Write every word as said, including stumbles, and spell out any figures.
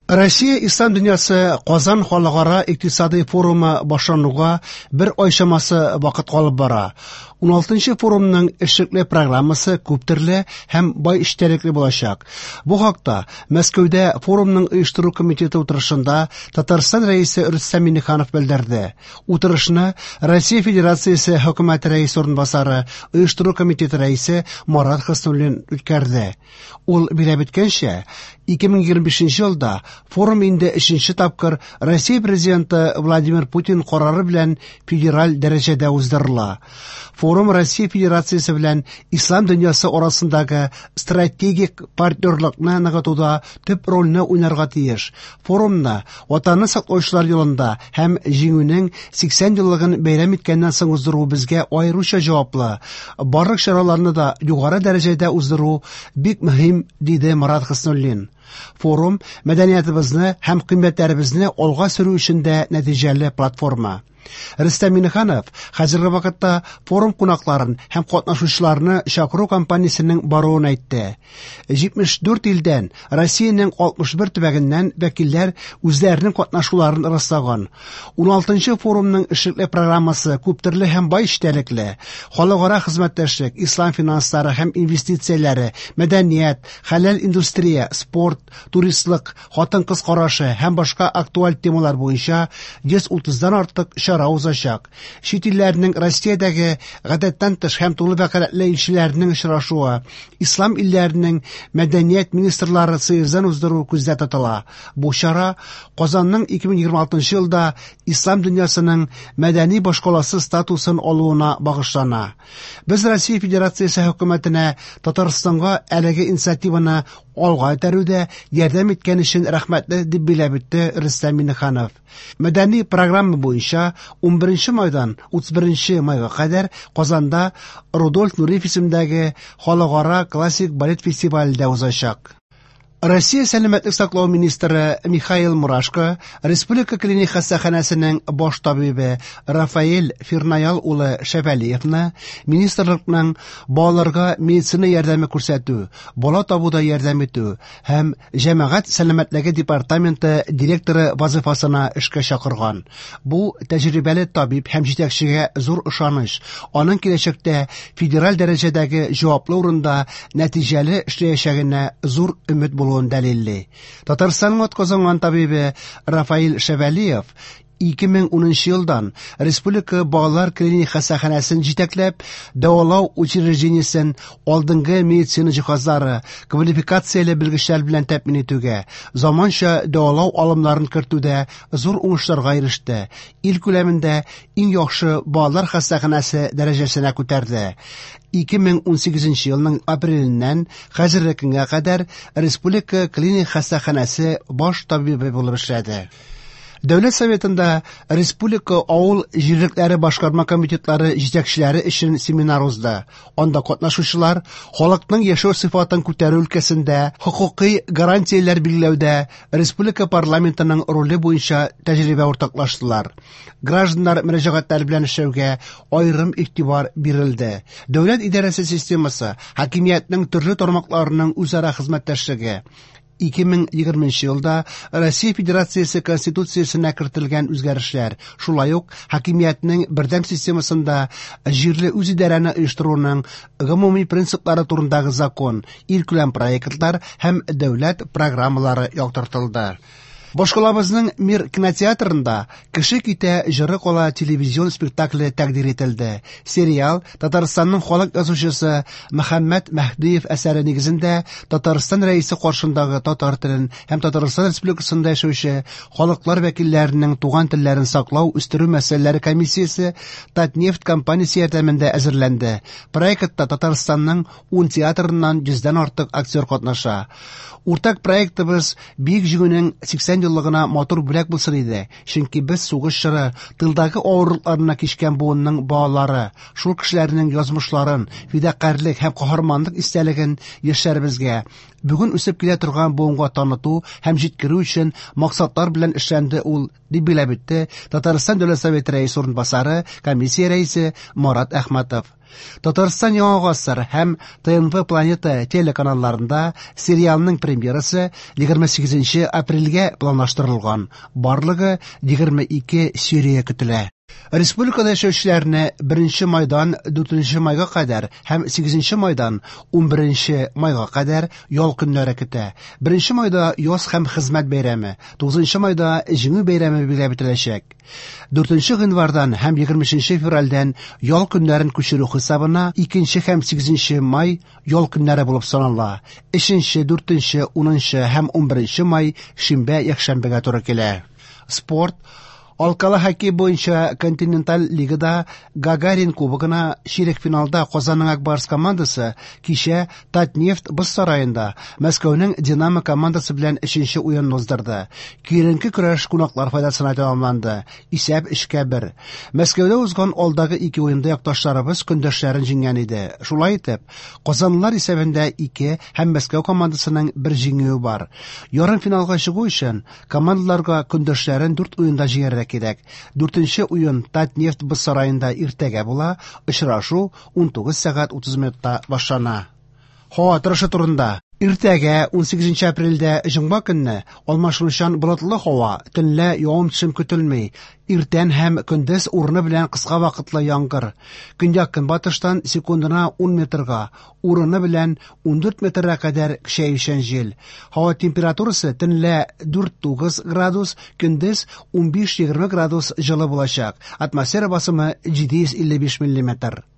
Россия Ислам дөньясы Казан халыкара икътисадый форумы башлануга бер ай чамасы вакыт калып бара. уналтынчы форумның эшлекле программасы күптөрле һәм бай эчтәлекле булачак. Бу хакта Мәскәүдә форумның оештыру комитеты утырышында Татарстан Рәисе Рөстәм Миңнеханов белдерде. Утырышны Россия Федерациясе Хөкүмәте рәисе урынбасары, оештыру комитеты рәисе Марат Хөснуллин үткәрде. Ул билгеләп үткәнчә, ике мең егерме бишенче елда форум инде өченче тапкыр Россия Президенты Владимир Путин карары белән федераль дәрәҗәдә уздырыла. Форум Россия Федерациясе белән Ислам дөньясы арасындагы стратегик партнерлыкны ныгытуда төп рольне уйнарга тиеш. Форумны Ватанны саклаучылар елында һәм Җиңүнең сиксән еллыгын бәйрәм иткәннән соң уздыру безгә аеруча җаваплы. Барлык чараларны да югары дәрәҗәдә уздыру бик мөһим, диде Марат Хөснуллин. Форум мәдәниятыбызны һәм кыйммәтләребезне алга сөрү өчен дә нәтиҗәле платформа. Рөстәм Миңнеханов хәзерге вакытта форум кунакларын һәм катнашучыларны чакыру кампаниясенең баруын әйтте. Җитмеш дүрт илдән, Россиянең алтмыш бер төбәгеннән вәкилләр үзләренең катнашуларын раслаган. Уналтынчы форумның эшлекле программасы күптөрле һәм бай эчтәлекле. Халыкара хезмәттәшлек, ислам финанслары һәм инвестицияләре, мәдәният, хәләл индустрия, спорт, туристлык, хатын-кыз карашы һәм башка актуаль темалар буенча йөз утыздан артык чара узачак. Чит илләрнең Россиядәге гадәттән тыш һәм тулы вәкаләтле илчеләренең очрашуы, ислам илләренең мәдәният министрлары съездын уздыру күздә тотыла. Бу чара Казанның ике мең егерме алтынчы елда ислам дөньясының мәдәни башкаласы статусын алуына багышлана. Без Россия Федерациясе хөкүмәтенә Татарстанга әлеге инициативаны алга этәрүдә ярдәм иткән өчен рәхмәтле, дип билгеләп үтте Рөстәм Миңнеханов. Мәдәни программа буенча унберенче майдан утыз беренче майга кадәр Казанда Рудольф Нуриев исемендәге халыкара классик балет фестивале дә узачак. Россия сәламәтлек саклау министры Михаил Мурашко Республика клиник хастаханәсенең баш табибы Рафаэль Фирнаял улы Шәвәлиевны министрлыкның балаларга медицина ярдәме күрсәтү, бала табуда ярдәм итү һәм җәмәгать сәламәтлеге департаменты директоры вазифасына эшкә чакырган. Бу тәҗрибәле табиб һәм җитәкчегә зур ышаныч, аның киләчәктә федераль дәрәҗәдәге җаваплы урында нәтиҗәле эшләячәгенә зур өмет булуын дәлилли. Татарстанның атказанган табибы Рафаэль Шәвәлиев ике мең унынчы елдан Республика балалар клиник хастаханәсен җитәкләп, дәвалау учреждениесен алдынгы медицина җиһазлары, квалификацияле белгечләр белән тәэмин итүгә, заманча дәвалау алымнарын кертүдә зур уңышларга иреште. Ил күләмендә иң яхшы балалар хастаханәсе дәрәҗәсенә күтәрде. Ике мең унсигезенче елның апреленнән хәзерге көнгә кадәр Республика клиник хастаханәсе баш табибы булып эшләде. Дәүләт Советында Республика авыл җирлекләре башкарма комитетлары җитәкчеләре өчен семинар узды. Анда катнашучылар халыкның яшәү сыйфатын күтәрү өлкәсендә хокукый гарантияләр билгеләүдә республика парламентының роле буенча тәҗрибә уртаклаштылар. Гражданнар мөрәҗәгатьләре белән эшләүгә аерым игътибар бирелде. Дәүләт идарәсе системасы, хакимиятнең төрле тармакларының үзара хезмәттәшлеге. Ике мең егерменче елда Россия Федерациясе Конституциясенә кертелгән үзгәрешләр, шулай ук хакимиятнең бердәм системасында җирле үзидарәне оештыруның гомуми принциплары турындагы закон, илкүләм проектлар һәм дәүләт программалары яктыртылды. Башкалабызның Мир кинотеатрында Кеше китә җыры кала телевизион спектакле тәкъдир ителде. Сериал Татарстанның халык язучысы Мөхәммәт Мәһдиев әсәре нигезендә Татарстан Рәисе каршындагы татар телен һәм Татарстан Республикасында яшәүче халыклар вәкилләренең туган телләрен саклау, үстерү мәсьәләләре комиссиясе Татнефть компаниясе ярдәмендә әзерләнде. Проектта Татарстанның ун театрыннан йөздән артык актер катнаша. Уртак проектыбыз Бөек Җиңүнең сиксән еллыгына матур бүләк булсын иде, чөнки без сугыш чоры тылдагы авырлыкларына кичкән буынның балалары, шул кешеләрнең язмышларын, фидакарьлек һәм каһарманлык истәлеген яшьләребезгә, Бүген үсеп килә торган буынга таныту һәм җиткерү өчен максатлар белән эшләнде ул, дип билгеләп үтте Татарстан Дәүләт Советы рәисе урынбасары, комиссия рәисе Марат Әхмәтов. Татарстан Яңа гасыр һәм Т Н В Планета телеканалларында сериалның премьерасы егерме сигезенче апрельгә планлаштырылган. Барлыгы егерме ике серия көтелә. Республикада яшәүчеләрне беренче майдан дүртенче майга кадәр һәм сигезенче майдан унберенче майга кадәр ял көннәре көтә. Беренче майда яз һәм хезмәт бәйрәме, тугызынчы майда Җиңү бәйрәме билгеләп үтеләчәк. Дүртенче гыйнвардан һәм егерме өченче февральдән ял көннәрен күчерү хисабына икенче һәм сигезенче май ял көннәре булып санала. Өченче, дүртенче, унынчы һәм унберенче май шимбә, якшәмбегә туры килә. Спорт. Алкалы хоккей буенча континенталь лигада Гагарин кубогына чирек финалда Казанның Ак Барс командасы кичә Татнефть боз сараенда Мәскәүнең Динамо командасы белән өченче уенын уздырды. Киеренке көрәш кунаклар файдасына тәмамланды. Исәп өчкә бер. Мәскәүдә узган алдагы ике уенда якташларыбыз көндәшләрен җиңгән иде. Шулай итеп, казанлылар исәбендә ике һәм Мәскәү командасының бер җиңүе бар. Ярым финалга чыгу өчен командаларга көндәшләрен дүрт уенда җиңәргә кирәк. Дүртенче уен Татнефть боз сараенда иртәгә була. Очрашу унтугыз сәгать утыз минутта башлана. Һава торышы турында. Иртәгә унсигезенче апрельдә җомга көнне алмашынучан болытлы һава, төнлә явым-төшем көтелми. Иртән һәм көндез урыны белән кыска вакытлы яңгыр. Көньяк-көнбатыштан секундына ун метрга, урыны белән ундүрт метрга кадәр көчәючән җил. Һава температурасы төнлә дүрт-тугыз градус, көндез унбиш-егерме градус җылы булачак. Атмосфера басымы җиде йөз илле биш миллиметр.